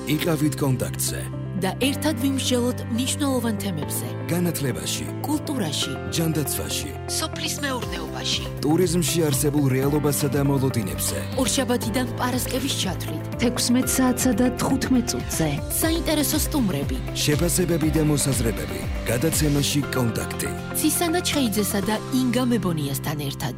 იყავით კონტაქტზე და ერთად ვიმსჯელოთ მნიშვნელოვან თემებზე. განათლებაში, კულტურაში, ჯანდაცვაში, სოფლის მეურნეობაში, ტურიზმში არსებულ რეალობასა და მოლოდინებზე. ორშაბათიდან პარასკევის ჩათვლით, 16 საათსა და 15 წუთზე. საინტერესო სტუმრები, შეფასებები და მოსაზრებები. გადაცემაში კონტაქტი. ცისანა ჩხეიძესა და ინგა მებონიასთან ერთად.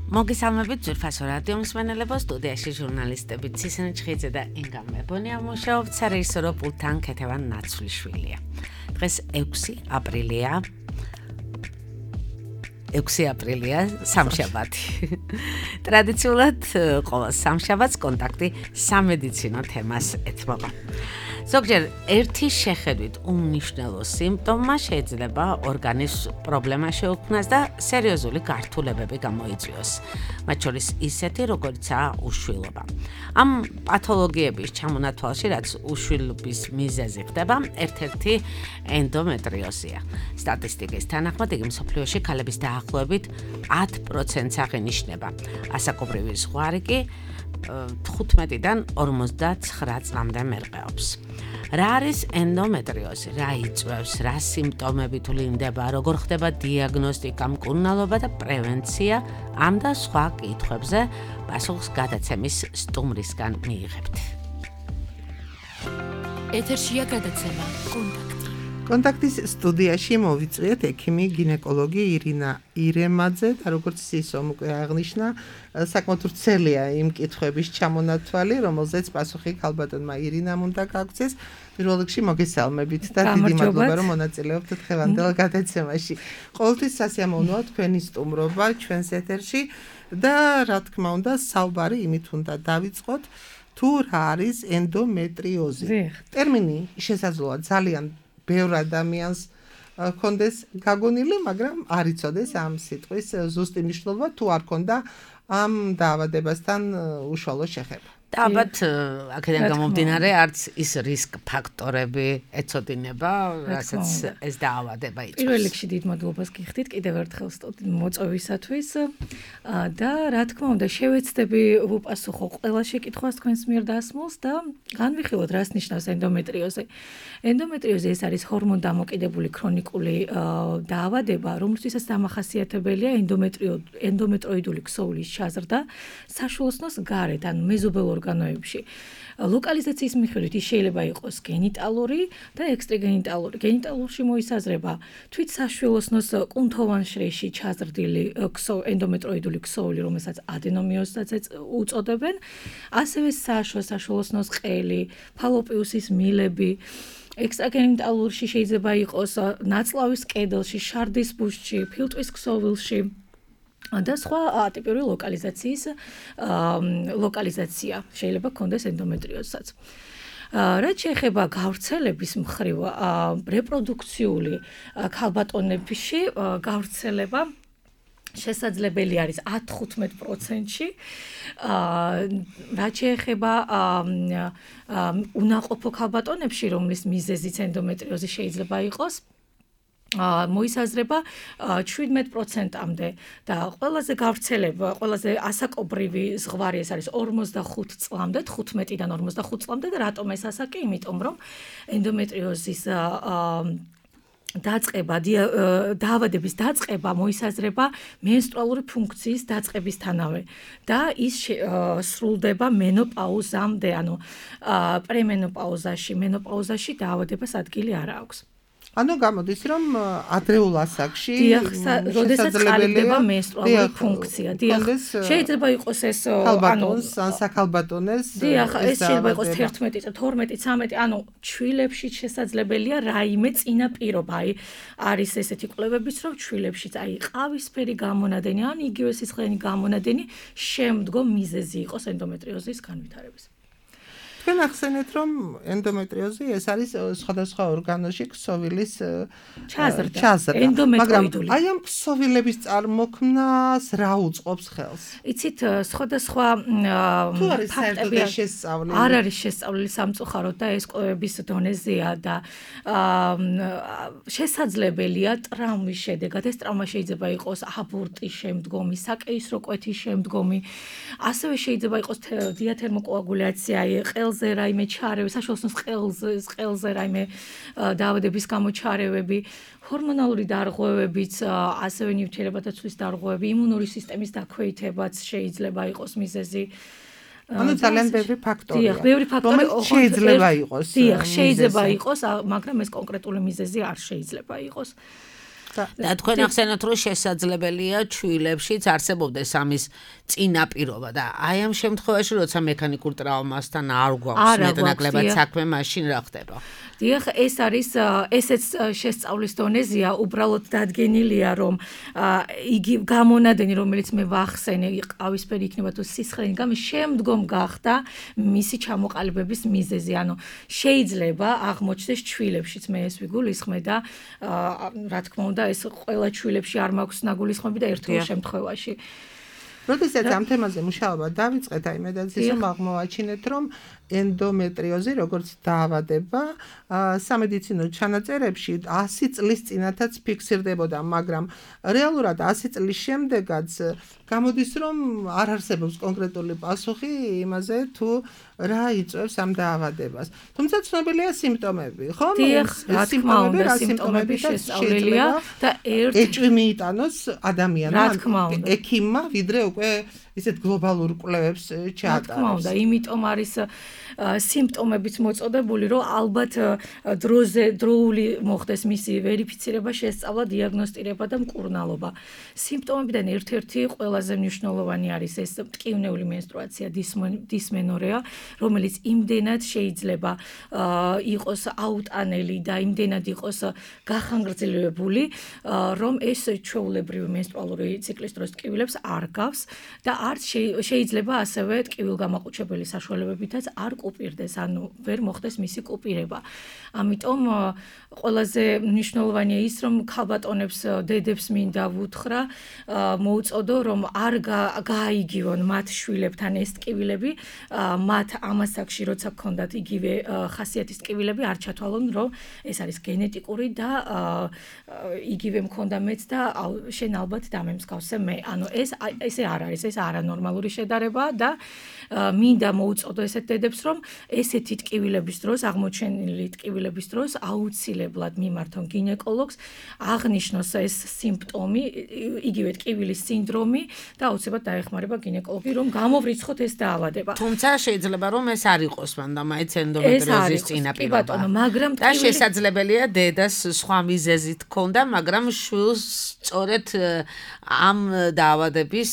მოგესალმებით ძვირფასო რადიო მსმენელებო, სტუდიაში ჟურნალისტები ცისანა ჩხეიძე და ინგა მებონია მუშაობთ, სარეჟისორო პულტთან ქეთევან ნაცვლიშვილია. დღეს 6 აპრილია, სამშაბათი. ტრადიციულად ყოველ სამშაბათს კონტაქტი სამედიცინო თემას ეთმობა. ზოგჯერ ერთი შეხედვით უმნიშვნელო სიმპტომა შეიძლება ორგანის პრობლემა შეუქმნას და სერიოზული გართულებები გამოიწვიოს. მათ შორის ისეთი, როგორიცაა უშვილობა. ამ პათოლოგიების ჩამონათვალში, რაც უშვილობის მიზეზი ხდება, ერთ-ერთი ენდომეტრიოზია. სტატისტიკის თანახმად, იგი მსოფლიოში ქალების დაახლოებით 10%-ს აღინიშნება. ასაკობრივი ზღვარი კი 15-დან 59 წლამდე მერყეობს. რა არის ენდომეტრიოზი? რა იწვევს? რა სიმპტომები თვლინდება? როგორ ხდება დიაგნოსტიკა, მკურნალობა და პრევენცია? ამ და სხვა კითხვებზე პასუხს გადაცემის სტუმრისგან მიიღებთ. ეთერშია გადაცემა კონტაქტი. კონტაქტის სტუდიაში მოვიწვიეთ ექიმი გინეკოლოგი ირინა ირემაძე და როგორც ისომ უკვე აღნიშნა, საკმაოდ ვრცელია იმ კითხვების ჩამონათვალი, რომელზეც პასუხი ქალბატონმა ირინამ უნდა გაგვცეს. პირველ რიგში მოგესალმებით და დიდი მადლობა, რომ მონაწილეობთ დღევანდელ გადაცემაში. ყოველთვის სასიამოვნოა თქვენი სტუმრობა ჩვენს ეთერში და რა თქმა უნდა, საუბარი იმით უნდა დავიწყოთ, თუ რა არის ენდომეტრიოზი. ტერმინი შესაძლოა ძალიან ბევრ ადამიანს ქონდეს გაგონილი, მაგრამ არ იცოდეს ამ სიტყვის ზუსტი მნიშვნელობა, თუ არ ქონდა ამ დაავადებასთან უშუალო შეხება. და ალბათ აქედან გამომდინარე არც ის რისკ ფაქტორები ეცოდინება, რასაც ეს დაავადება იწვევს. პირველ რიგში დიდ მადლობას გიხდით კიდევ ერთხელ მოწვევისათვის და რა თქმა უნდა შევეცდები ვუპასუხო ყველა შეკითხვას თქვენს მიერ დასმულს და განვიხილოთ რას ნიშნავს ენდომეტრიოზი. ენდომეტრიოზი ეს არის ჰორმონდამოკიდებული ქრონიკული დაავადება, რომლისთვისაც დამახასიათებელია ენდომეტროიდული ქსოვლის ჩაზრდა საშუალოსნოს გარეთ, ან მეზობელ ორგანოებში. ლოკალიზაციის მიხედვით ის შეიძლება იყოს გენიტალური და ექსტრაგენიტალური. გენიტალურში მოისაზრება თვით საშუალოსნოს კუნთოვან შრეში ჩაზრდილი ენდომეტროიდული ქსოვილი, რომელსაც ადენომიოზსაც უწოდებენ, ასევე საშუალოსნოს ყელი, ფალოპიუსის მილები. ექსტრაგენიტალურში შეიძლება იყოს ნაწლავის კედელში, შარდის ბუშტში, ფილტვის ქსოვილში და სხვა ატიპური ლოკალიზაცია შეიძლება ქონდეს ენდომეტრიოზსაც. რაც შეეხება გავრცელების მხრივ რეპროდუქციული ქალბატონებში გავრცელება შესაძლებელი არის 10-15%-ში. რაც შეეხება უნაყოფო ქალბატონებში, რომლის მიზეზიც ენდომეტრიოზი შეიძლება იყოს, მოისაზრება 17%-მდე და ყველაზე გავრცელება, ყველაზე ასაკობრივი ზღვარი ეს არის 45 წლამდე, 15-დან 45 წლამდე და რატომ ეს ასაკი? იმიტომ რომ ენდომეტრიოზის დაავადების დაწყება მოისაზრება მენსტრუალური ფუნქციის დაწყებისთანავე და ის სრულდება მენოპაუზამდე, ანუ პრემენოპაუზაში, მენოპაუზაში დაავადებას ადგილი არ აქვს. ანუ გამოდის, რომ ადრეულ ასაკში როდესაც ხარდება მენსტრუალური ფუნქცია. შეიძლება იყოს ეს ქალბატონს, ან საქალბატონეს. ეს შეიძლება იყოს 11 წელი, 12, 13, ანუ ჩვილებში შესაძლებელია რაიმე წინაპირობა. არის ესეთი კვლევებიც, რომ ჩვილებშიც ყავისფერი გამონადენი, ან იგივე სისხლიანი გამონადენი შემდგომ მიზეზი იყოს ენდომეტრიოზის განვითარების. თქვენ ახსენეთ, რომ ენდომეტრიოზი ეს არის სხვადასხვა ორგანოში ქსოვილის ჩაზრდა. მაგრამ აი ამ ქსოვილების წარმოქმნას რა უწყობს ხელს? იცით, სხვადასხვა ფაქტები შესწავლილი. არ არის შესწავლილი სამწუხაროდ და ეს კვლევების დონეზეა და შესაძლებელია ტრამვის შედეგად. ეს ტრამვა შეიძლება იყოს აბორტის შემდგომი, საკეისრო კვეთის შემდგომი, ასევე შეიძლება იყოს დიათერმოკოაგულაცია, ყელზე რაიმე ჩარევა, საშუალო ყელზე რაიმე დაავადების გამო ჩარევები, ჰორმონალური დარღვევებიც, ასევე ნივთიერებათა ცვლის დარღვევები, იმუნური სისტემის დაქვეითებაც შეიძლება იყოს მიზეზი. ანუ ძალიან ბევრი ფაქტორია. დიახ, ბევრი ფაქტორი შეიძლება იყოს. დიახ, შეიძლება იყოს, მაგრამ ეს კონკრეტული მიზეზი არ შეიძლება იყოს. და თქვენ ახსენეთ, რომ შესაძლებელია ჩვილებშიც არსებობდეს ამის წინაპირობა და აი ამ შემთხვევაში, როცა მექანიკურ ტრავმასთან არ გვაქვს მეტნაკლებად საქმე, მაშინ რა ხდება? დიახ, ეს არის ესეც შესწავლის დონეზეა, უბრალოდ დადგენილია, რომ იგი გამონადენი, რომელიც მე ვახსენე, ყავისფერი იქნება თუ სისხლიანი გამო, შემდგომ გახდა მისი ჩამოყალიბების მიზეზი. ანუ შეიძლება აღმოჩნდეს ჩვილებშიც, მე ეს ვიგულისხმე და რა თქმა უნდა, ეს ყველა ჩვილებში არ მაქვს ნაგულისხმები და ერთეულ შემთხვევაში. როდესაც ამ თემაზე მუშაობა დავიწყეთ, აი მე დაცის რომ აღმოვაჩინეთ, რომ ენდომეტრიოზი როგორც დაავადება სამედიცინო ჩანაწერებში 100 წლის წინათაც ფიქსირდებოდა, მაგრამ რეალურად 100 წლის შემდეგაც გამოდის, რომ არ არსებობს კონკრეტული პასუხი იმაზე, თუ რა იწვევს ამ დაავადებას. თუმცა ცნობილია სიმპტომები, ხო? სიმპტომები შესწავლილია და ეჭვი მიიტანოს ადამიანმა, ექიმმა, ვიდრე უკვე ისეთ გლობალურ კვლევებს ჩაატარებს. რა თქმა უნდა, იმიტომ არის სიმპტომებიც მოწოდებული, რომ ალბათ დროული მოხდეს მისი ვერიფიცირება, შესწავლა, დიაგნოსტირება და მკურნალობა. სიმპტომებიდან ერთ-ერთი ყველაზე მნიშვნელოვანი არის ეს მტკივნეული მენსტრუაცია, დისმენორეა, რომელიც იმდენად შეიძლება იყოს აუტანელი და იმდენად იყოს გახანგრძლივებული, რომ ეს ჩვეულებრივი მენსტრუალური ციკლის დროს ტკივილებს არ გავს და არც შეიძლება ასევე ტკივილგამაყუჩებელი საშუალებებითაც არ კუპირდეს, ანუ ვერ მოხდეს მისი კუპირება. ამიტომ ყველაზე მნიშვნელოვანია ის, რომ ქალბატონებს, დედებს მინდა ვუთხრა, მოუწოდო, რომ არ გააიგივონ მათ შვილებთან ეს ტკივილები, მათ ამასაკში, როცა გქონდათ იგივე ხასიათის ტკივილები, არ ჩათვალონ, რომ ეს არის გენეტიკური და იგივე მქონდა მეც და შენ ალბათ დამემსგავსე მე. ანუ ესე არ არის, ეს არანორმალური შედარება და მინდა მოუწოდო ესეთ დედებს, რომ ესეთი ტკივილების დროს, აღმოჩენილი ტკივილების დროს აუცილებლად მიმართონ გინეკოლოგს, აღნიშნოს ეს სიმპტომი, იგივე ტკივილის სინდრომი და აუცილებლად დაეხმარება გინეკოლოგი, რომ გამოვრიცხოთ ეს დაავადება. თუმცა შეიძლება რომ ეს არ იყოს მანდა მაინც ენდომეტრიოზის წინაპირობა. მაგრამ და შესაძლებელია დედას სხვა მიზეზით ქონდა, მაგრამ შვილს სწორედ ამ დაავადების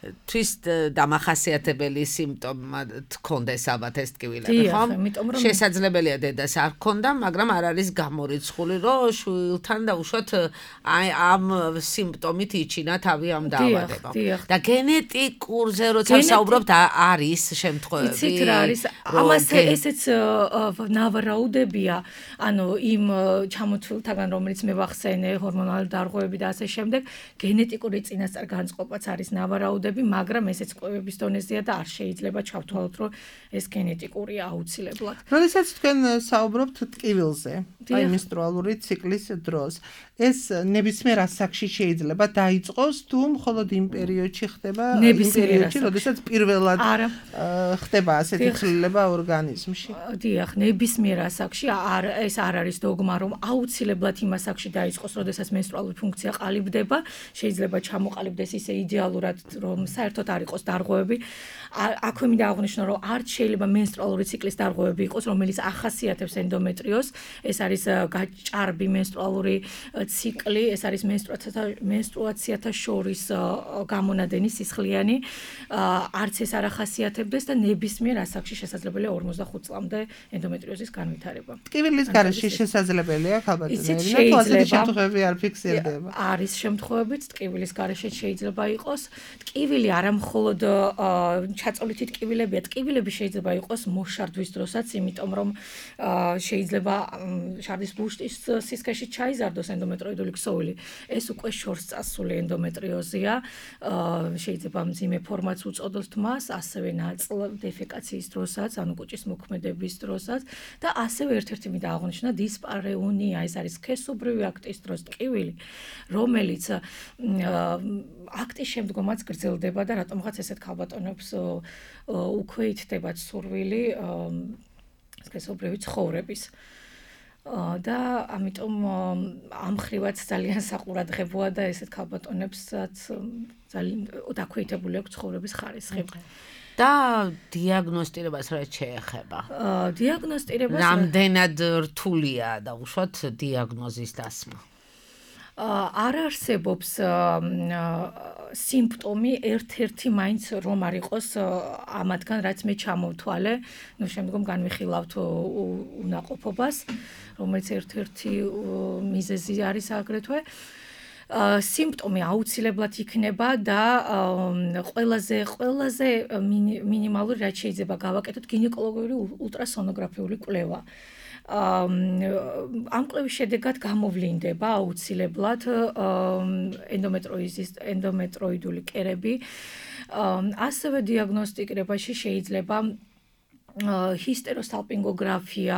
თვის დამახასიათებელი სიმპტომა თქონდეს ალბათ ეს ტკივილები, ხო? შესაძლებელია დედას არ ქონდა, მაგრამ არ არის გამორიცხული, რომ შვილთან დაუშვათ აი ამ სიმპტომით იჩინა თავი ამ დაავადება. და გენეტიკურზე როცა ვსაუბრობთ, არის შემთხვევები. იცით რა არის? ამას ესეც ნავარაუდებია, ანუ იმ ჩამოთვლილთაგან, რომელიც მე ვახსენე, ჰორმონალური დარღვევები და ასე შემდეგ, გენეტიკური წინასწარ განწყობაც არის ნავარაუდები, მაგრამ ესეც კვლევების დონეზეა და არ შეიძლება ჩავთვალოთ, რომ ეს გენეტიკურია აუცილებლად. როდესაც თქვენ საუბრობთ ტკივილზე, აი მენსტრუალური ციკლის დროს, ეს ნებისმიერ ასაკში შეიძლება დაიწყოს თუ მხოლოდ იმ პერიოდში ხდება, იმ პერიოდში, როდესაც პირველად ხდება ასეთი ცვლილება ორგანიზმში? დიახ, ნებისმიერ ასაკში ეს არ არის დოგმა, რომ აუცილებლად იმ ასაკში დაიწყოს, როდესაც მენსტრუალური ფუნქცია ყალიბდება, შეიძლება ჩამოყალიბდეს ისე იდეალურად, რომ საერთოდ არ იყოს დარღვევები. აქვე მინდა აღვნიშნო, რომ არც შეიძლება მენსტრუალური ციკლის დარღვევები იყოს, რომელიც ახასიათებს ენდომეტრიოზს. ეს არის გაჭარბი მენსტრუალური ციკლი, ეს არის მენსტრუაციათა შორის გამონადენი სისხლიანი. არც ეს არ ახასიათებდეს და ნებისმიერ ასაკში შესაძლებელია 45 წლამდე ენდომეტრიოზის განვითარება. ტკივილის გარეშე შესაძლებელია ქალბატონებინა, თუ ასეთი შემთხვევები არ ფიქსირდება. არის შემთხვევებიც ტკივილის გარეშე შეიძლება იყოს. ტკივილი არა მხოლოდ ჩაწოლითი ტკივილებია, ტკივილები შეიძლება იყოს მოშარდვის დროსაც, იმიტომ რომ შეიძლება შარდის ბუშტის სისქეში ჩაიზარდოს ენდომეტროიდული ქსოვილი. ეს უკვე შორს წასული ენდომეტრიოზია. შეიძლება მძიმე ფორმაც უწოდოს მას, ასევე ნაწილ დეფეკაციის დროსაც, ანუ კუჭის მოქმედების დროსაც და ასევე ერთ-ერთი მინდა აღვნიშნო დისპარეუნია, ეს არის სქესობრივი აქტის დროს ტკივილი, რომელიც აქტის შემდგომაც გრძელდება და რატომღაც ესეთ ქალბატონებს უქვე ითდებათ სურვილი სქესობრივი ცხოვრების. და ამიტომ ამ ხრივაც ძალიან საყურადღებოა და ესეთ ქალბატონებსაც ძალიან დაქვეითებული აქვს ცხოვრების ხარისხი. და დიაგნოსტირებას რაც შეეხება. დიაგნოსტირებას რამდენად რთულია დაუშვათ დიაგნოზის დასმა? არ არსებობს სიმპტომი ერთ-ერთი მაინც რომ არ იყოს ამათგან რაც მე ჩამოვთვალე, ნუ შემდგომ განვიხილავთ უნაყოფობას, რომელიც ერთ-ერთი მიზეზი არის აგრეთვე. სიმპტომი აუცილებლად იქნება და ყველაზე მინიმალური რაც შეიძლება გავაკეთოთ გინეკოლოგიური ულტრასონოგრაფიული კვლევა. ამ კვლევის შედეგად გამოვლინდება აუცილებლად ენდომეტროიდული კერები. ასევე დიაგნოსტირებაში შეიძლება ჰისტეროსალპინგოგრაფია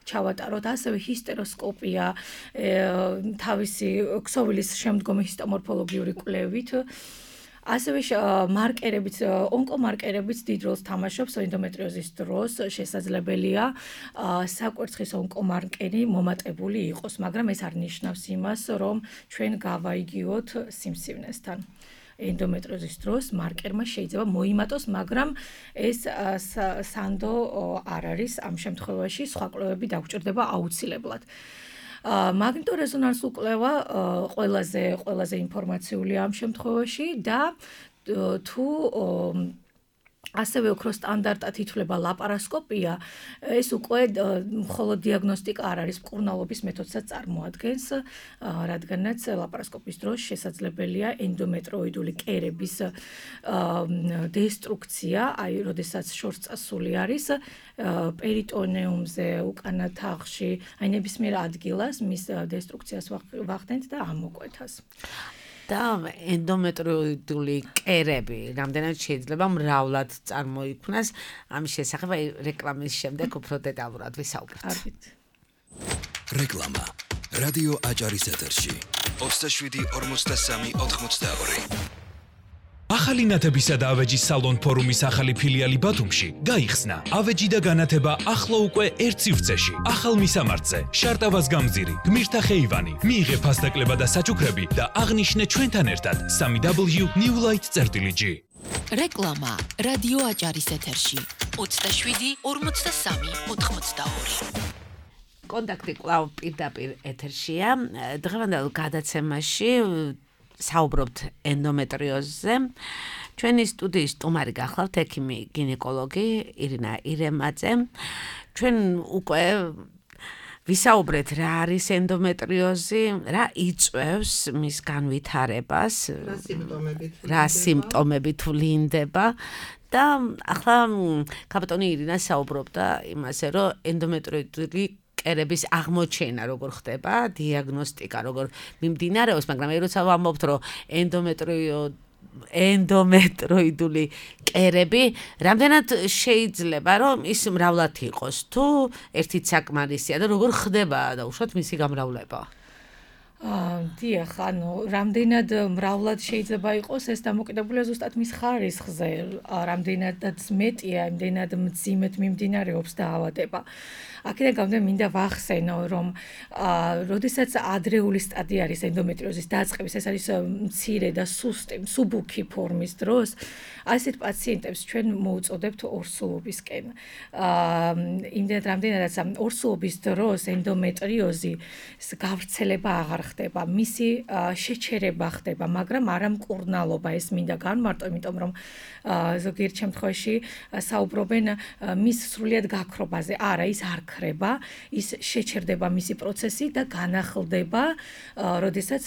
ჩავატაროთ, ასევე ჰისტეროსკოპია თავისი ქსოვილის შემდგომი ჰისტომორფოლოგიური კვლევით. ასევე მარკერებიც, ონკომარკერებიც დიდ როლს თამაშობს ენდომეტრიოზის დროს, შესაძლებელია საკვერცხის ონკომარკერი მომატებული იყოს, მაგრამ ეს არ ნიშნავს იმას, რომ ჩვენ გავაიგიოთ სიმსივნესთან. ენდომეტრიოზის დროს მარკერმა შეიძლება მოიმატოს, მაგრამ ეს სანდო არ არის ამ შემთხვევაში, სხვა კვლევები დაგვჭირდება აუცილებლად. მაგნიტორეზონანსული კვლევა ყველაზე ინფორმაციულია ამ შემთხვევაში და თუ ასევე უფრო სტანდარტად ითვლება ლაპარასკოპია, ეს უკვე მხოლოდ დიაგნოსტიკა არ არის, მკურნალობის მეთოდსაც წარმოადგენს, რადგანაც ლაპარასკოპის დროს შესაძლებელია ენდომეტროიდული კერების დესტრუქცია, აი, როდესაც შორს წასული არის პერიტონეუმზე, უკანა თაღში, აი ნებისმიერ ადგილას მის დესტრუქციას ვახდენთ და ამოკვეთას. და ენდომეტროიდული კერები რამდენად შეიძლება მრავლად წარმოიქმნას, ამის შესახებ რეკლამის შემდეგ უფრო დეტალურად ვისაუბრებთ. რეკლამა. რადიო აჭარის ეთერში. 27-43-82. ახალი ნათებისა და ავეჯის სალონ ფორუმის ახალი ფილიალი ბათუმში გაიხსნა. ავეჯი და განათება ახლა უკვე ერთ სივრცეში. ახალ მისამართზე, შარტავას გამზირი, გმირთა ხეივანი. მიიღე ფასდაკლება და საჩუქრები და აღნიშნე ჩვენთან ერთად 3w.newlight.gr. რეკლამა რადიო აჭარის ეთერში 27-43-82. კონტაქტი კვლავ პირდაპირ ეთერშია. დღევანდელ გადაცემაში საუბრობთ ენდომეტრიოზზე. ჩვენი სტუდიის სტუმარი გახლავთ ექიმი გინეკოლოგი ირინა ირემაძე. ჩვენ უკვე ვისაუბრეთ რა არის ენდომეტრიოზი, რა იწვევს მის განვითარებას, რა სიმპტომებით ვლინდება და ახლა ქალბატონი ირინა საუბრობდა იმაზე, რომ ენდომეტროიდული კერების აღმოჩენა როგორ ხდება, დიაგნოსტიკა როგორ მიმდინარეობს, მაგრამ როცა ვამბობთ, რომ ენდომეტროიდული კერები რამდენად შეიძლება რომ ის მრავლად იყოს, თუ ერთით საკმარისია და როგორ ხდება დაუშვათ მისი გამრავლება? დიახ, ანუ რამდენად მრავლად შეიძლება იყოს, ეს დამოკიდებულია ზუსტად მის ხარისხზე, რამდენადაც მეტია, იმდენად მძიმედ მიმდინარეობს დაავადება. აქედან გამომდინარე მინდა ვახსენო, რომ როდესაც ადრეული სტადია არის ენდომეტრიოზის დაწყების, ეს არის მცირე და სუსტი, მსუბუქი ფორმის დროს, ასეთ პაციენტებს ჩვენ მოუწოდებთ ორსულობისკენ. იმდენად რამდენადაც ორსულობის დროს ენდომეტრიოზის გავრცელება აღარ ხდება, მისი შეჩერება ხდება, მაგრამ არა მკურნალობა, ეს მინდა განმარტო, იმიტომ რომ ზოგიერთ შემთხვევაში საუბრობენ მის სრულიად გაქრობაზე. არა, ის არ ქრება, ის შეჩერდება მისი პროცესი და განახლდება, როდესაც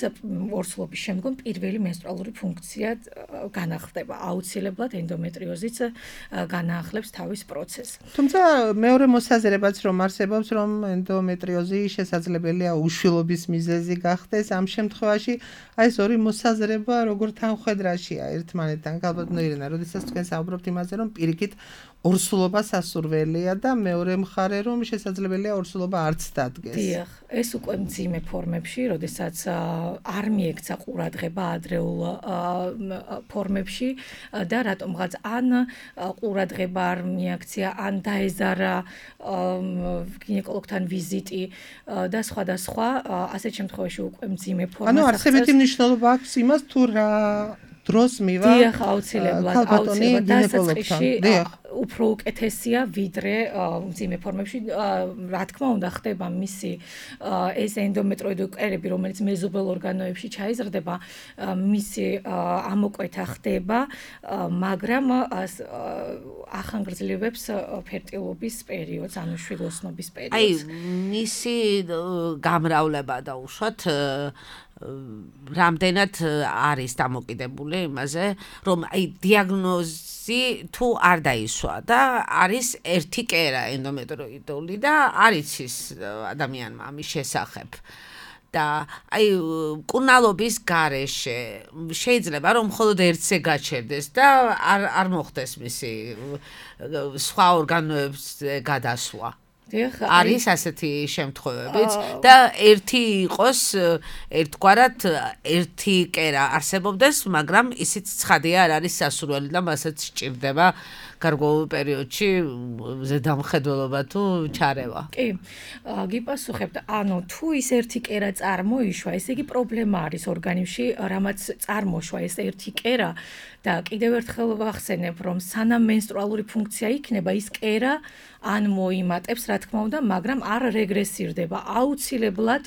ორსულობის შემდგომ პირველი მენსტრუალური ფუნქცია განახლდება. აუცილებლად ენდომეტრიოზიც განაახლებს თავის პროცესს. თუმცა მეორე მოსაზრებაც რომ არსებობს, რომ ენდომეტრიოზი შესაძლებელია უშვილობის მიზეზი გახდეს, ამ შემთხვევაში აი ეს ორი მოსაზრება როგორ თანხვედრაშია ერთმანეთთან. ალბათ ნოირენა, როდესაც თქვენ საუბრობთ იმაზე, რომ პირიქით ორსულობა სასურველია და მეორე მხარე რომ შესაძლებელია ორსულობა არც დადგეს. დიახ, ეს უკვე მძიმე ფორმებში, როდესაც არ მიექცა ყურადღება ადრეულ ფორმებში და რატომღაც ან ყურადღება არ მიაქცია, ან დაეზარა გინეკოლოგთან ვიზიტი და სხვადასხვა, ასეთ შემთხვევაში უკვე მძიმე ფორმას ანუ არსებითი მნიშვნელობა აქვს იმას თუ რა დროს მივა დიახ, აუცილებლად დასაწყისში უფრო უკეთესია ვიდრე მძიმე ფორმებში. რა თქმა უნდა, ხდება მისი ეს ენდომეტროიდული კერები, რომელიც მეზობელ ორგანოებში ჩაიზრდება, მისი ამოკვეთა ხდება, მაგრამ ახანგრძლივებს ფერტილობის პერიოდს, ანუ შვილოსნობის პერიოდს. აი, მისი გამრავლება დაუშვათ რამდენად არის დამოკიდებული იმაზე, რომ აი დიაგნოზი თუ არ დაისვა და არის ერთი კერა ენდომეტროიდული და არ იცის ადამიანმა ამის შესახებ. და აი მკურნალობის გარეშე შეიძლება რომ მხოლოდ ერთზე გაჩერდეს და არ მოხდეს მისი სხვა ორგანოებზე გადასვლა. არის ასეთი შემთხვევებიც და ერთი იყოს ერთგვარად ერთი კერა არსებობდეს, მაგრამ ისიც ცხადია არ არის სასურველი და მასაც სჭირდება გარკვეულ პერიოდში ზედამხედველობა თუ ჩარევა. კი, გიპასუხებთ, ანუ თუ ის ერთი კერა წარმოიშვა, ესე იგი პრობლემა არის ორგანიზმში, რამაც წარმოშვა ეს ერთი კერა და კიდევ ერთხელ ვახსენებ, რომ სანამ მენსტრუალური ფუნქცია იქნება, ის კერა ან მოიმატებს, რა თქმა უნდა, მაგრამ არ რეგრესირდება, აუცილებლად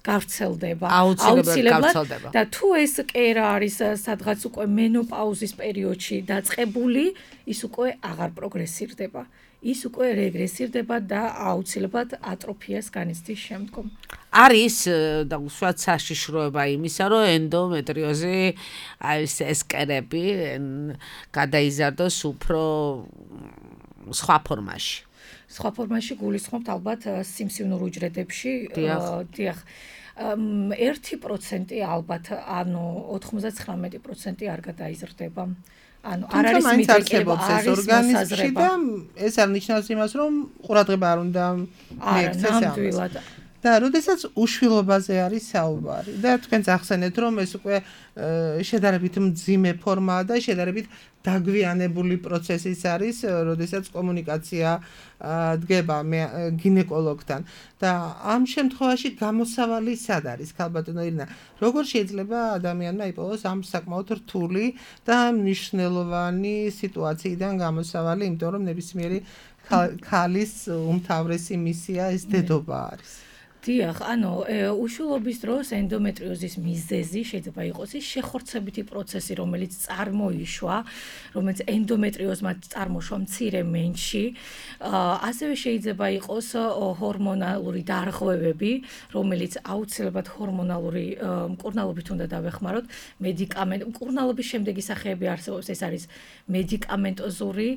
გავრცელდება. აუცილებლად და თუ ეს კერა არის სადღაც უკვე მენოპაუზის პერიოდში დაწყებული, ის უკვე აღარ პროგრესირდება. ის უკვე რეგრესირდება და აუცილებლად ატროფიას განიცდის შემდგომ. არის და უშუალოდ საშიშროება იმისა, რომ ენდომეტრიოზი ეს კერები გადაიზარდოს უფრო სხვა ფორმაში. სხვა ფორმაში გულისხმობთ ალბათ სიმსივნურ უჯრედებში. დიახ. 1% ალბათ, ანუ 99% არ გადაიზრდება. ანუ არ არის მიდრეკილება, არის ორგანიზმში და ეს არ ნიშნავს იმას, რომ ყურადღება არ უნდა მიექცეს ამას. და როდესაც უშვილობაზე არის საუბარი და თქვენ ახსენეთ, რომ ეს უკვე შედარებით მძიმე ფორმაა და შედარებით დაგვიანებული პროცესის არის, როდესაც კომუნიკაცია დგება გინეკოლოგთან და ამ შემთხვევაში გამოსავალი სად არის, ქალბატონო ირინა? როგორ შეიძლება ადამიანმა იპოვოს ამ საკმაოდ რთული და მნიშვნელოვანი სიტუაციიდან გამოსავალი, იმიტომ რომ ნებისმიერი ქალის უმთავრესი მისია ეს დედობა არის. დიახ, ანუ უშვილობის დროს ენდომეტრიოზის მიზეზი შეიძლება იყოს ის შეხორცებითი პროცესი, რომელიც წარმოიშვა, რომელიც ენდომეტრიოზმა წარმოშვა მცირე მენში. ასევე შეიძლება იყოს ჰორმონალური დარღვევები, რომელიც აუცილებლად ჰორმონალური მკურნალობით უნდა დავეხმაროთ. მკურნალობის შემდეგი სახეები არსებობს, ეს არის მედიკამენტოზური,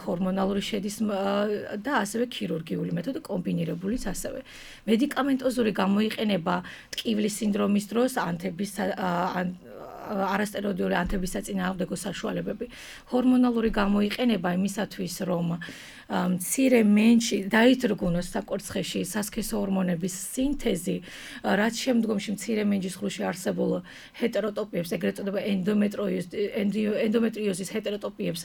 ჰორმონალური შედის და ასევე ქირურგიული მეთოდი, კომბინირებულიც ასევე. მედიკამენტოზური გამოიყენება ტკივილის სინდრომის დროს არასტეროიდული ანთების საწინააღმდეგო საშუალებები. ჰორმონალური გამოიყენება იმისათვის, რომ მცირე მენში დაიძრგუნოს საკვერცხეში სასქესო ჰორმონების სინთეზი, რაც შემდგომში მცირე მენჯის ღრუში არსებულ ჰეტეროტოპიებს, ეგრეთ წოდება ენდომეტრიოზის ჰეტეროტოპიებს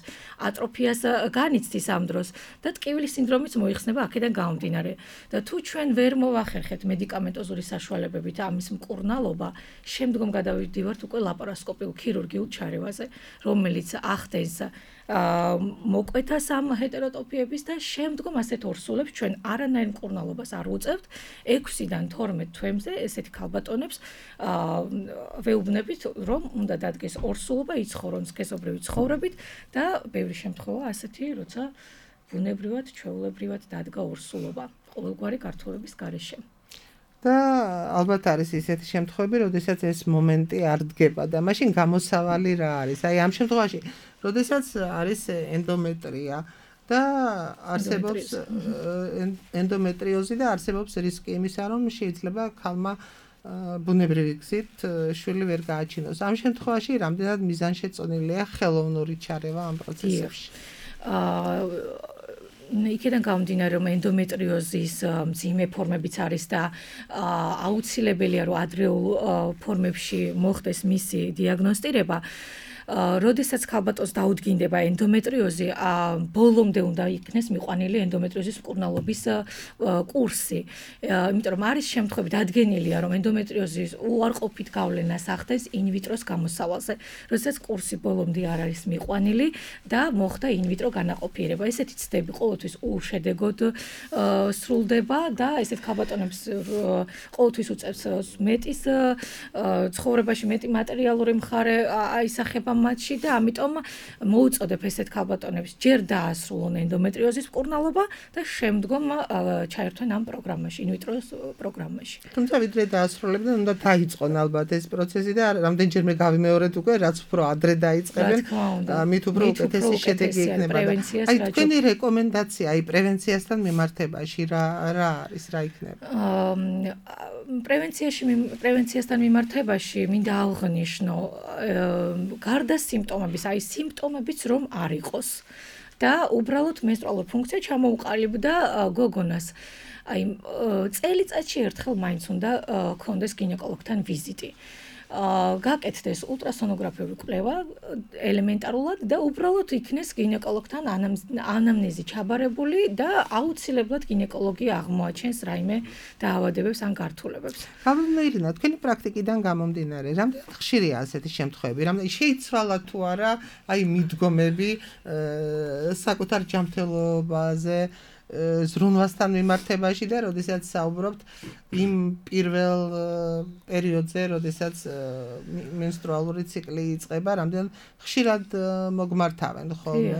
ატროფიას განიცდის ამ დროს და ტკივილის სინდრომიც მოიხსნება აქედან გამომდინარე. და თუ ჩვენ ვერ მოვახერხეთ მედიკამენტოზური საშუალებებით ამის მკურნალობა, შემდგომ გადავიდივართ უკვე ლაპარასკოპიულ ქირურგიულ ჩარევაზე, რომელიც ახდენს მოკვეთას ამ ჰეტეროტოპიების და შემდგომ ასეთ ორსულებს ჩვენ არანაირ მკურნალობას არ უწევთ 6-დან 12 თვემზე ესეთი ქალბატონებს ვეუბნებით რომ უნდა დადგეს ორსულობა იცხოვრონ სქესობრივი ცხოვრებით და ბევრი შემთხვევა ასეთი როცა ბუნებრივად ჩვეულებრივად დადგა ორსულობა ყოველგვარი გართულების გარეშე და ალბათ არის ისეთი შემთხვევები, როდესაც ეს მომენტი არ დგება და მაშინ გამოსავალი რა არის? აი ამ შემთხვევაში, როდესაც არის ენდომეტრია და არსებობს ენდომეტრიოზი და არსებობს რისკი იმისა, რომ შეიძლება ქალმა ბუნებრივი გზით შვილი ვერ გააჩინოს. ამ შემთხვევაში რამდენად მიზანშეწონილია ხელოვნური ჩარევა ამ პროცესებში? იქიდან გამომდინარე რომ ენდომეტრიოზის მძიმე ფორმებიც არის და აუცილებელია რომ ადრეულ ფორმებში მოხდეს მისი დიაგნოსტირება როდესაც ქალბატონს დაუდგინდება ენდომეტრიოზი, ბოლომდე უნდა იქნეს მიყვანილი ენდომეტრიოზის მკურნალობის კურსი. იმიტომ რომ არის შემთხვევები დადგენილია, რომ ენდომეტრიოზის უარყოფით გავლენას ახდენს ინვიტროს გამოსავალზე, როდესაც კურსი ბოლომდე არ არის მიყვანილი და მოხდა ინვიტრო განაყოფიერება. ესეთი ცდები ყოველთვის უშედეგოდ სრულდება და ესეთ ქალბატონებს ყოველთვის უწევს მეტის ცხოვრებაში მეტი მატერიალური მხარე აისახება მათში და ამიტომ მოუწოდებ ესეთ ქალბატონებს ჯერ დაასრულონ ენდომეტრიოზის მკურნალობა და შემდგომ ჩაერთვენ ამ პროგრამაში, ინვიტროს პროგრამაში. თუმცა ვიდრე დაასრულებდნენ, უნდა დაიწყონ ალბათ ეს პროცესი და რამდენჯერმე გავიმეორეთ უკვე, რაც უფრო ადრე დაიწყებენ, მით უფრო უკეთესი შედეგი იქნება. აი თქვენი რეკომენდაცია, აი პრევენციასთან მიმართებაში რა არის, რა იქნება? პრევენციასთან მიმართებაში მინდა აღნიშნო გარდა სიმპტომების, აი სიმპტომებიც რომ არ იყოს და უბრალოდ მენსტრუალური ფუნქცია ჩამოუყალიბდა გოგონას. აი წელიწადში ერთხელ მაინც უნდა ქონდეს გინეკოლოგთან ვიზიტი. გაკეთდეს ულტრასონოგრაფიული კვლევა ელემენტარულად და უბრალოდ იქნეს გინეკოლოგთან ანამნეზი ჩაბარებული და აუცილებლად გინეკოლოგი აღმოაჩენს რაიმე დაავადებებს ან გართულებებს. გამომდინარე, თქვენი პრაქტიკიდან გამომდინარე, რამდენად ხშირია ასეთი შემთხვევები? რამდენად შეიცვალა თუ არა აი მიდგომები საკუთარ ჯანმრთელობაზე ზრუნვასთან მიმართებაში და როდესაც საუბრობთ იმ პირველ პერიოდზე, როდესაც მენსტრუალური ციკლი იწყება, რამდენად ხშირად მოგმართავენ ხოლმე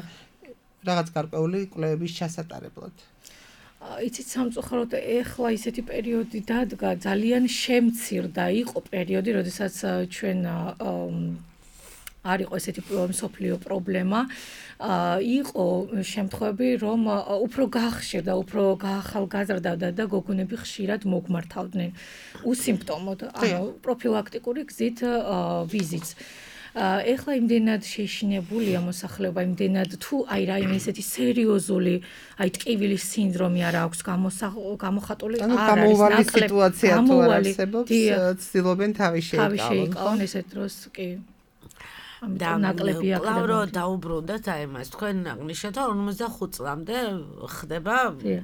რაღაც გარკვეული კვლევების ჩასატარებლად. იცით სამწუხაროდ ეხლა ისეთი პერიოდი დადგა, ძალიან შემცირდა იყო პერიოდი, როდესაც ჩვენ არ იყო ესეთი მსოფლიო პრობლემა. იყო შემთხვევები, რომ უფრო გახშირდა, უფრო გაახალგაზრდავდა და გოგონები ხშირად მოგმართავდნენ უსიმპტომოდ, ანუ პროფილაქტიკური გზით ვიზიტს. ეხლა იმდენად შეშინებულია მოსახლეობა, იმდენად თუ აი რაიმე ესეთი სერიოზული, აი ტკივილის სინდრომი არ აქვს გამოხატული, არ არის გამოვალი სიტუაცია თუ არ არსებობს, ცდილობენ თავი შეიკავონ ესეთ დროს კი. და ნაკლებია დაუბრუნდეთ აი მას თქვენ აღნიშნეთ რომ 55 წლამდე ხდება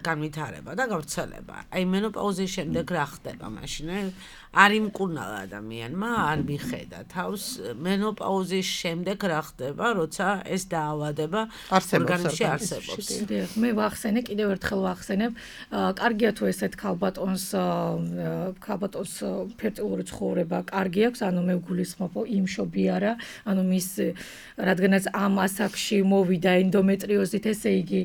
განვითარება და გავრცელება. აი მენოპაუზის შემდეგ რა ხდება მაშინ? არ იმკურნალა ადამიანმა, არ მიხედა თავს მენოპაუზის შემდეგ რა ხდება, როცა ეს დაავადება ორგანიზმში არსებობს. მე ვახსენე, კიდევ ერთხელ ვახსენებ, კარგია თუ ესეთ ქალბატონს ფერტილური ცხოვრება კარგი აქვს, ანუ მე ვგულისხმობ იმშობი არა, ანუ მის რადგანაც ამ ასაკში მოვიდა ენდომეტრიოზით, ესე იგი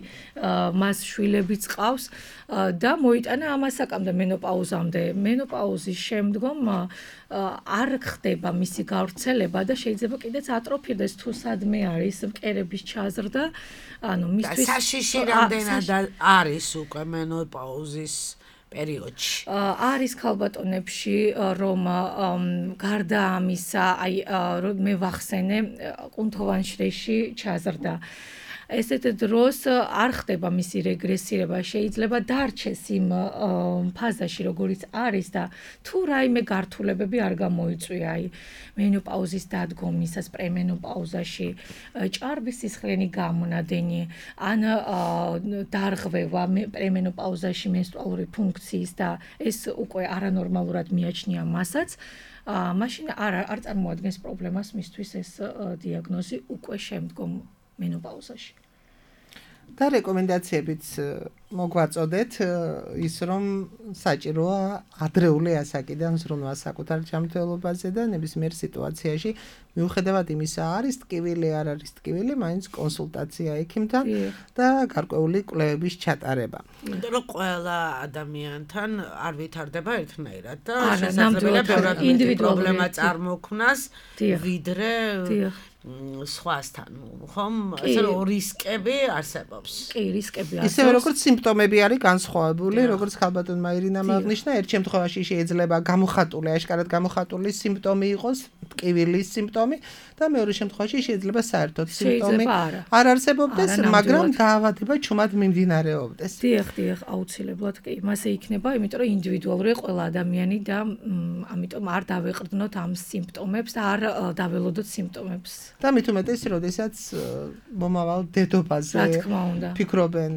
მას შვილებიც ყავს და მოიტანა ამ ასაკამდე მენოპაუზამდე. მენოპაუზის შემდგომ არ ხდება მისი გავრცელება და შეიძლება კიდეც ატროფირდეს თუ სადმე არის მკერების ჩაზრდა, ანუ მისთვის საშიში რამდენად არის უკვე მენოპაუზის პერიოდში. არის ქალბატონებში, რომ გარდა ამისა, აი მე ვახსენე კუნთოვანშრეში ჩაზრდა. ესეთ დროს არ ხდება მისი რეგრესირება, შეიძლება დარჩეს იმ ფაზაში, როგორიც არის და თუ რაიმე გართულებები არ გამოიწვია, აი მენოპაუზის დადგომისას, პრემენოპაუზაში, ჭარბის სისხლიანი გამონადენი, ან დარღვევა პრემენოპაუზაში მენსტრუალური ფუნქცია ფუნქციის და ეს უკვე არანორმალურად მიაჩნია მასაც, მაშინ არ წარმოადგენს პრობლემას მისთვის ეს დიაგნოზი უკვე შემდგომ მენოპაუზაში. და რეკომენდაციებიც მოგვაწოდეთ ის რომ საჭიროა ადრეული ასაკიდან ზრუნვა საკუთარ ჯანმრთელობაზე და ნებისმიერ სიტუაციაში მიუხედავად იმისა არის ტკივილი არ არის ტკივილი, მაინც კონსულტაცია ექიმთან და გარკვეული კვლევების ჩატარება. იმიტომ რომ ყველა ადამიანთან არ ვითარდება ერთნაირად და ნამდვილად ინდივიდუალური პრობლემა წარმოქმნას ვიდრე სხვასთან, ხომ? ესე რომ რისკები არსებობს. კი, რისკები არსებობს. ისევე როგორც სიმპტომები არის განსხვავებული, როგორც ხალბატონმა ირინამ აღნიშნა, ერთ შემთხვევაში შეიძლება გამოხატული, აშკარად გამოხატული სიმპტომი იყოს, ტკივილის სიმპტომი და მეორე შემთხვევაში შეიძლება საერთოდ სიმპტომი არ არსებობდეს, მაგრამ დაავადება ჩუმად მიმდინარეობდეს. დიახ, აუცილებლად კი. მასე იქნება, იმიტომ რომ ინდივიდუალურია ყველა ადამიანი და ამიტომ არ დავეყრდნოთ ამ სიმპტომებს და არ დაველოდოთ სიმპტომებს. და მით უმეტეს, როდესაც მომავალ დედობაზე ფიქრობენ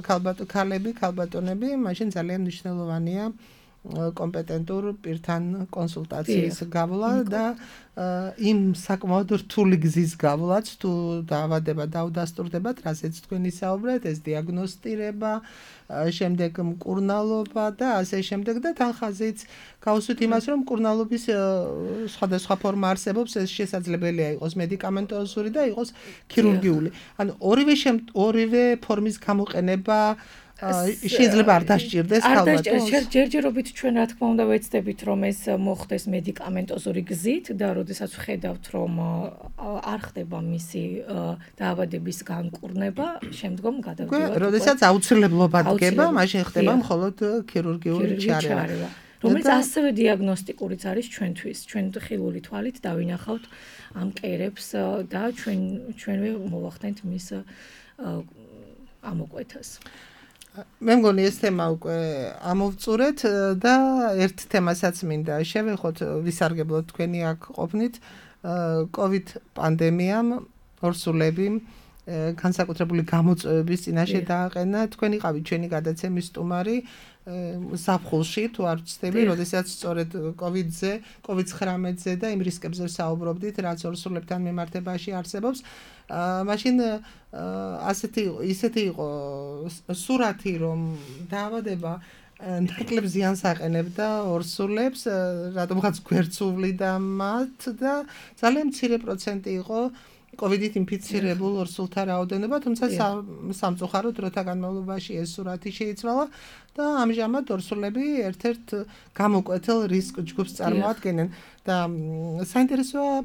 ქალბატონები, მაშინ ძალიან მნიშვნელოვანია კომპეტენტურ პირთან კონსულტაციის გავლა და იმ საკმაოდ რთული გზის გავლაც თუ დაავადება დაუდასტურდებათ, რასაც თქვენ ისაუბრეთ, ეს დიაგნოსტირება, შემდეგ მკურნალობა და ასე შემდეგ და თან ხაზიც გავუსვით იმას, რომ მკურნალობის სხვადასხვა ფორმა არსებობს, ეს შესაძლებელია იყოს მედიკამენტოზური და იყოს ქირურგიული. ანუ ორივე ფორმის გამოყენება შეიძლება არ დასჭირდეს ქალბატონს. ჯერჯერობით ჩვენ რა თქმა უნდა ვეცდებით რომ ეს მოხდეს მედიკამენტოზური გზით და როდესაც ვხედავთ რომ არ ხდება მისი დაავადების განკურნება, შემდგომ გადავდივართ. როდესაც აუცილებლობა დგება, მაშინ ხდება მხოლოდ ქირურგიული ჩარევა. რომელიც ასევე დიაგნოსტიკურიც არის ჩვენთვის. ჩვენ ხილული თვალით დავინახავთ ამ კერებს და ჩვენვე მოვახდენთ მის ამოკვეთას. მე მგონი ეს თემა უკვე ამოვწურეთ და ერთ თემასაც მინდა შევეხოთ, ვისარგებლოთ თქვენი აქ ყოფნით, COVID პანდემიამ ორსულები განსაკუთრებული გამოწვევების წინაშე დააყენა. თქვენ იყავით ჩვენი გადაცემის სტუმარი ზაფხულში, თუ არ ვცდები, როდესაც სწორედ COVID-19-ზე და იმ რისკებზე საუბრობდით, რაც ორსულებთან მიმართებაში არსებობს. მაშინ ისეთი იყო სურათი, რომ დაავადება ნაკლებ ზიანს აყენებდა ორსულებს, რატომღაც გვერდს უვლიდა მათ და ძალიან მცირე პროცენტი იყო COVID-ით ინფიცირებულ ორსულთა რაოდენობა, თუმცა სამწუხაროდ დროთა განმავლობაში ეს სურათი შეიცვალა და ამჟამად ორსულები ერთ-ერთ გამოკვეთილ რისკ ჯგუფს წარმოადგენენ და საინტერესოა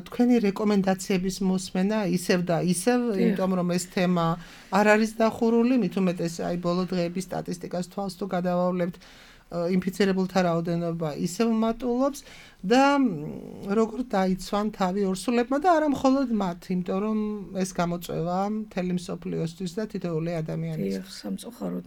თქვენი რეკომენდაციების მოსმენა ისევ და ისევ, იმიტომ რომ ეს თემა არ არის დახურული, მით უმეტეს აი ბოლო დღეების სტატისტიკას თვალს თუ გადავავლებთ, ინფიცირებულთა რაოდენობა ისევ მატულობს და როგორ დაიცვან თავი ორსულებმა და არა მხოლოდ მათ, იმიტომ რომ ეს გამოწვევა მთელი მსოფლიოსთვის და თითოეული ადამიანისთვის. სამწუხაროდ.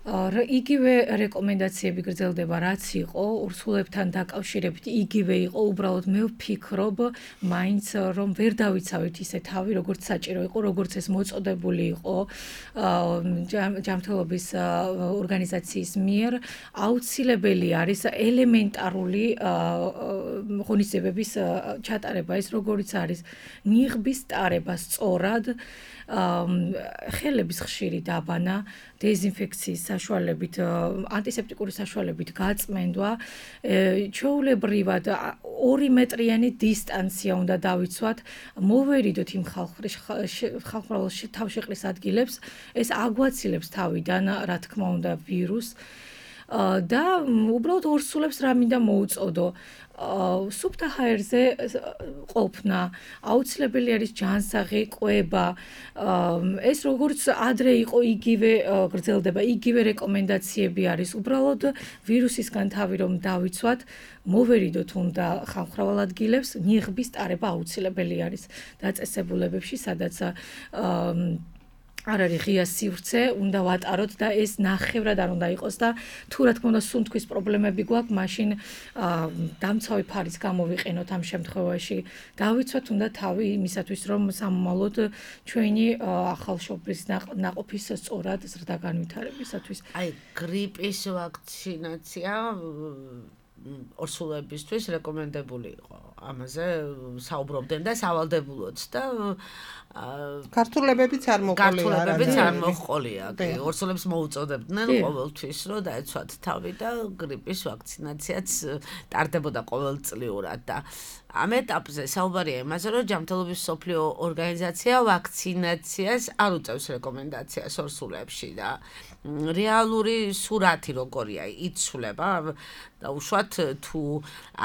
იგივე რეკომენდაციები გრძელდება, რაც იყო ორსულებთან დაკავშირებით, იგივე იყო, უბრალოდ მე ვფიქრობ, მაინც რომ ვერ დავიცავით ისე თავი, როგორც საჭირო იყო, როგორც ეს მოწოდებული იყო ჯანმრთელობის ორგანიზაციის მიერ, აუცილებელი არის ელემენტარული ღონისძიებების ჩატარება, ეს როგორიც არის ნიღბის ტარება სწორად, ხელების ხშირი დაბანა, დეზინფექციის საშუალებით, ანტისეპტიკური საშუალებით გაწმენდვა, ჩვეულებრივად 2 მეტრიანი დისტანცია უნდა დავიცვათ, მოვერიდოთ იმ ხალხმრავალ თავშეყრის ადგილებს, ეს აგვაცილებს თავიდან, რა თქმა უნდა, ვირუსს და უბრალოდ ორსულებს რა მინდა მოუწოდო. სუფთა ჰაერზე ყოფნა, აუცილებელი არის ჯანსაღი კვება. ეს როგორც ადრე იყო, იგივე გრძელდება, იგივე რეკომენდაციები არის. უბრალოდ ვირუსისგან თავი რომ დავიცვათ, მოვერიდოთ უნდა ხალხმრავალ ადგილებს, ნიღბის ტარება აუცილებელი არის დაწესებულებებში, სადაც არ არის ღია სივრცე, უნდა ვატაროთ და ეს ნახევრად არ უნდა იყოს და თუ რა თქმა უნდა სუნთქვის პრობლემები გვაქვს, მაშინ დამცავი ფარის გამოვიყენოთ ამ შემთხვევაში. დავიცვათ უნდა თავი იმისათვის, რომ სამომავლოდ ჩვენი ახალშობილის ნაყოფის სწორად ზრდა განვითარებისათვის. აი, გრიპის ვაქცინაცია ორსულებისთვის რეკომენდებული იყო. ამაზე საუბრობდნენ და სავალდებულოც და ქართულებებიც არ მოყოლია. ორსულებს მოუწოდებდნენ ყოველთვის, რომ დაეცვათ თავი და გრიპის ვაქცინაციაც ტარდებოდა ყოველწლიურად და ამ ეტაპზე საუბარია იმაზე, რომ ჯანმრთელობის მსოფლიო ორგანიზაცია ვაქცინაციას არ უწევს რეკომენდაციას ორსულებში და რეალური სურათი როგორია იცვლება და უშუალოდ თუ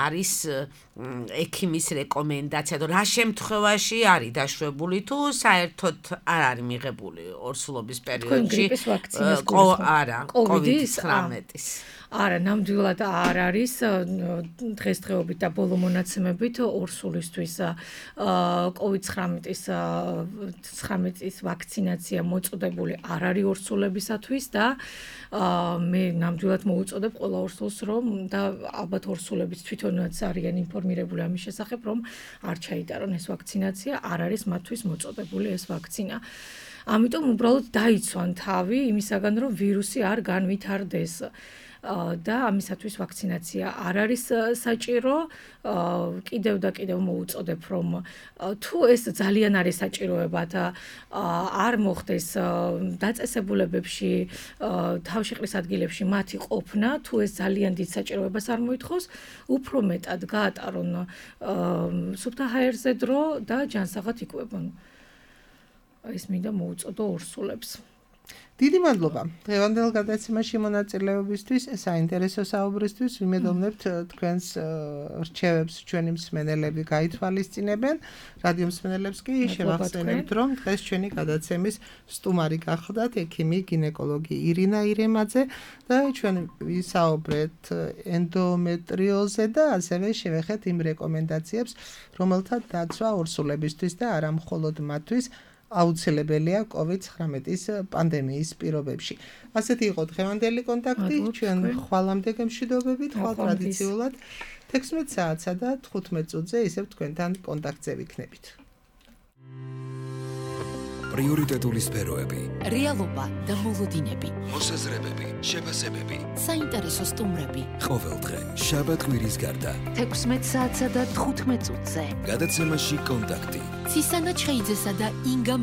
არის ექიმის რეკომენდაცია და რა შემთხვევაში არის დაშვებული თუ საერთოდ არ არის მიღებული ორსულობის პერიოდში COVID-19-ის არა, ნამდვილად არ არის დღესდღეობით და ბოლო მონაცემებით ორსულისთვის COVID-19-ის ვაქცინაცია მოწოდებული არ არის ორსულებისათვის და მე ნამდვილად მოუწოდებ ყველა ორსულს რომ და ალბათ ორსულებიც თვითონაც არიან ინფორმირებული ამის შესახებ რომ არ ჩაიტარონ ეს ვაქცინაცია, არ არის მათთვის მოწოდებული ეს ვაქცინა. ამიტომ უბრალოდ დაიცვან თავი იმისაგან რომ ვირუსი არ განვითარდეს. და ამისათვის ვაქცინაცია არ არის საჭირო, კიდევ და კიდევ მოუწოდებ რომ თუ ეს ძალიან არის საჭიროებად არ მოხდეს დაწესებულებებში, თავშეყრის ადგილებში მათი ყოფნა, თუ ეს ძალიან დიდ საჭიროებას არ მოითხოვს, უფრო მეტად გაატარონ სუფთა ჰაერზე დრო და ჯანსაღად იკვებონ. ეს მინდა მოუწოდო ორსულებს. დიდი მადლობა დღევანდელ გადაცემაში მონაწილეობისთვის, საინტერესო საუბრისთვის. ვიმედოვნებთ თქვენს რჩევებს ჩვენი მსმენელები გაითვალისწინებენ. რადიო მსმენელებს კი შევახსენებთ, რომ დღეს ჩვენი გადაცემის სტუმარი გახლდათ ექიმი გინეკოლოგი ირინა ირემაძე და ჩვენ ვისაუბრეთ ენდომეტრიოზზე და ასევე შევეხეთ იმ რეკომენდაციებს, რომელთა დაცვა ორსულებისთვის და არა მხოლოდ მათთვის აუცილებელია COVID-19-ის პანდემიის პირობებში. ასეთი იყო დღევანდელი კონტაქტი, ჩვენ ხვალამდე გემშვიდობებით, ხვალ ტრადიციულად 16 საათსა და 15 წუთზე ისევ თქვენთან კონტაქტზე ვიქნებით. პრიორიტეტული სფეროები, რეალობა და მოლოდინები, მოსაზრებები, შეფასებები, საინტერესო სტუმრები. ყოველდღე შაბათ-კვირის გარდა 16 საათსა და 15 წუთზე. გადაცემაში კონტაქტი. ცისანა ჩხეიძესა და ინგა